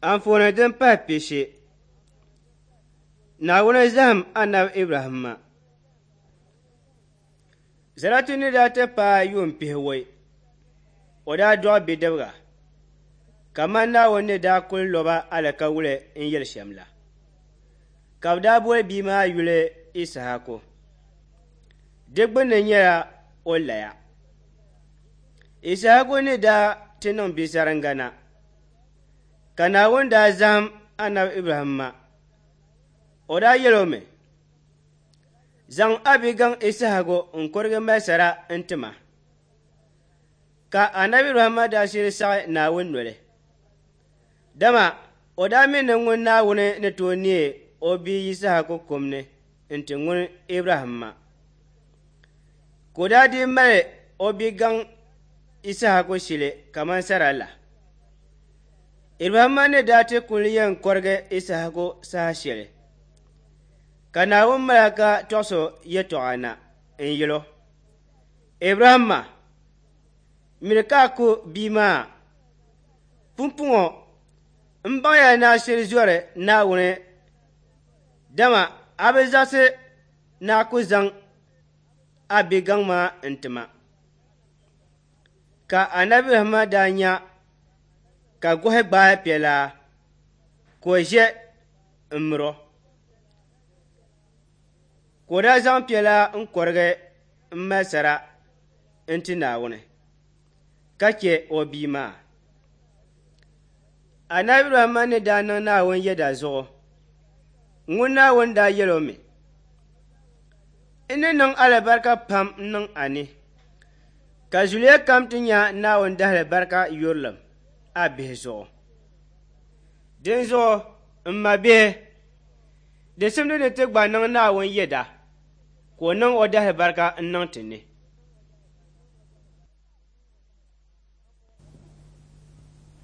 Anfooni din pahi pishi, Naawuni zahim Anabi Ibrahimma. Saratu ni daa ti paai yuun pihiwɔi, o daa dɔɣi bidibiga, kaman Naawuni ni daa kul lo ba alikauli n-yɛli shɛm la. Ka bɛ daa boli bia maa yuli Issahaku. Di gbunni nyɛla o laya. Issahaku ni daa ti niŋ bisaringa na, ka Naawuni daa zahim Anabi Ibrahimma. O daa yɛl o mi, Zaŋ a bigaŋ Issahaku n-kurigi mali sara n-ti ma. Ka Anabi Ibrahimma daa shiri saɣi Naawuni noli, dama o daa mi ni ŋun Naawuni ni tooi neei o bia Yisahaku kum ni n-ti ŋun Ibrahimma. Ka o daa dii mali o bigaŋ Yisahaku shili kaman sara la. Ibrahimma ni daa ti kul yɛn kɔrigi Yisahaku saha shɛli, ka Naawuni malaika tɔɣis o yɛtɔɣa na n-yɛl o, Ibrahimma, miri ka a ku bia maa. Pumpɔŋɔ m baŋya ni a shiri zɔri Naawuni, dama a bi zaɣisi ni a ku zaŋ a bigaŋ maa n-ti ma. Ka Anabi Ibrahimma daa nya ka gɔhi gbaai piɛlaa ka o ʒe m-mir o. Ka o daa zaŋ piɛlaa n-kɔrigi m-mali sara n-ti Naawuni, ka chɛ o bia maa. Anabi Ibrahimma ni daa niŋ Naawuni yɛda zuɣu, ŋun Naawuni daa yɛl o mi, N ni niŋ alibarika pam niŋ a ni, ka zuliya kam ti nya Naawuni dahalibarika yurilim a bihi zuɣu. Dinzuɣu, m mabihi, di simdi ni ti gba niŋ Naawuni yɛda ka o niŋ o dahalibarika n-niŋ ti ni.